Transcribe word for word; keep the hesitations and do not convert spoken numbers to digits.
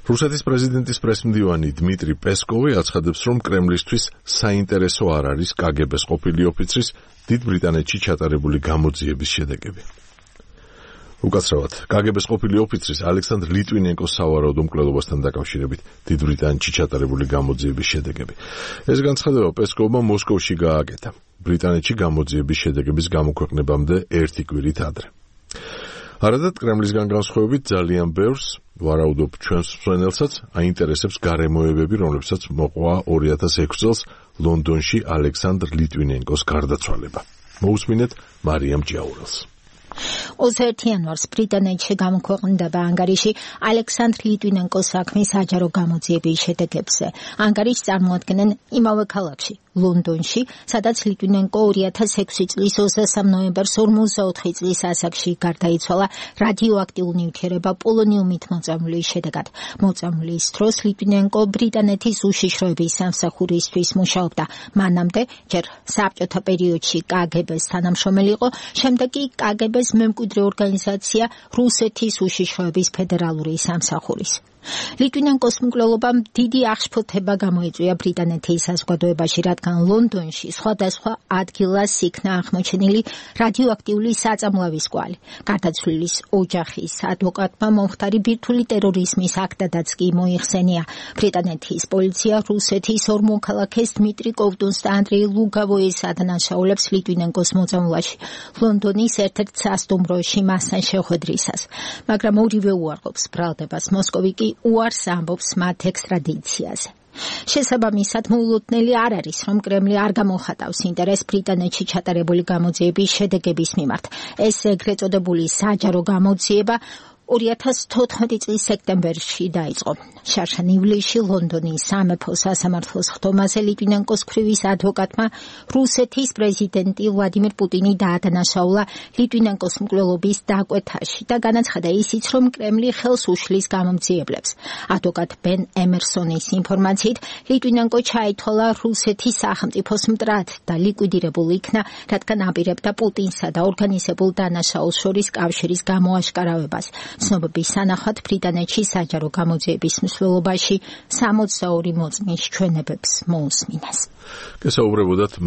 რუსეთის პრეზიდენტის პრესმდივანი დმიტრი პესკოვი აცხადებს, რომ კრემლისთვის საინტერესო არ არის კაგებეს ყოფილი ოფიცრის დიდ ბრიტანეთში ჩატარებული გამოძიების შედეგები. უკაცრავად, კაგებეს ყოფილი ოფიცრის ალექსანდრ ლიტვინენკოს სავარაუდო მკვლელობასთან დაკავშირებით დიდ ბრიტანეთში ჩატარებული გამოძიების შედეგები. ეს განცხადება პესკოვმა მოსკოვში გააკეთა, ბრიტანეთში გამოძიების შედეგების გამოქვეყნებამდე ერთი კვირით ადრე. არადაც კრემლისგან განსხვავებით ძალიან ბევრს, ვარაუდობ ჩვენს მსმენელსაც, აინტერესებს გარემოებები, რომლებსაც მოყვა ორი ათას ექვსი წელს ლონდონში ალექსანდრ ლიტვინენკოს გარდაცვალება. მოусმინეთ მარიამ ჭიაურელს. ოცდაერთი იანვარს ბრიტანეთში გამოქვეყნდება ანგარიში ალექსანდრ ლიტვინენკოს საქმის საჯარო გამოძიების შედეგებზე. ანგარიშს წარმოადგენენ იმავე ქალაქში, ლონდონში, სადაც ლიტვინენკო ორი ათას ექვსი წლის ოცდასამ ნოემბერს ორმოცდაოთხი წლის ასაკში გარდაიცვალა რადიოაქტიურ ნივთიერება პოლონიუმით მოწამვლის შედეგად. მოწამვლის დროს ლიტვინენკო ბრიტანეთის უშიშროების სამსახურისთვის მუშაობდა. მანამდე ჯერ საბჭოთა პერიოდში კაგებეს თანამშრომელი იყო, შემდეგ კი კაგებეს მემკვიდრე ორგანიზაცია რუსეთის უშიშროების ფედერალური სამსახურის. ლიტვინენკოს მკვლელობამ დიდი აღშფოთება გამოიწვია ბრიტანეთის საზოგადოებაში, რადგან ლონდონში სხვადასხვა ადგილას იქნა აღმოჩენილი რადიოაქტიული საწამლავის კვალი. გარდაცვლილის ოჯახის ადვოკატმა მომხდარი ბირთვული ტერორიზმის აქტადაც კი მოიხსენია. ბრიტანეთის პოლიცია რუსეთის ორ მოქალაქეს დმიტრი კოვტუნს და ანდრეი ლუგავოის ადანაშაულებს ლიტვინენკოს მოწამვლაში, ლონდონის ერთ-ერთ სასტუმროში მასთან შეხვედრისას. მაგრამ ორივე უარყოფს ბრალდებას, მოსკოვი კი უარს ამბობს მათ ექსტრადიციაზე. შესაბამისად, მოულოდნელი არ არის, რომ კრემლი არ გამოხატავს ინტერესს ბრიტანეთში ჩატარებული გამოძიების შედეგების მიმართ. ეს ეგრეთ წოდებული საჯარო გამოძიება ორი ათას თოთხმეტი წლის სექტემბერში დაიწყო. შარშან ივლისში ლონდონის სამეფო სასამართლოს ხდომაზე ლიტვინენკოს ქვრივის ადვოკატმა რუსეთის პრეზიდენტი ვლადიმირ პუტინი დაადანაშაულა ლიტვინენკოს მკვლელობის დაკვეთაში და განაცხადა ისიც, რომ კრემლი ხელს უშლის გამომძიებლებს. ადვოკატ ბენ ემერსონის ინფორმაციით, ლიტვინენკო ჩაითვალა რუსეთის სახელმწიფოს მტრად და ლიკვიდირებულ იქნა, რადგან აპირებდა პუტინსა და ორგანიზებულ დანაშაულს შორის კავშირის გამოაშკარავებას. ცნობების სანახავად ბრიტანეთში საჯარო გამოძიების მსვლელობაში სამოცდაორი მოწმის ჩვენებებს მოусმინეს. გესაუბრებოდათ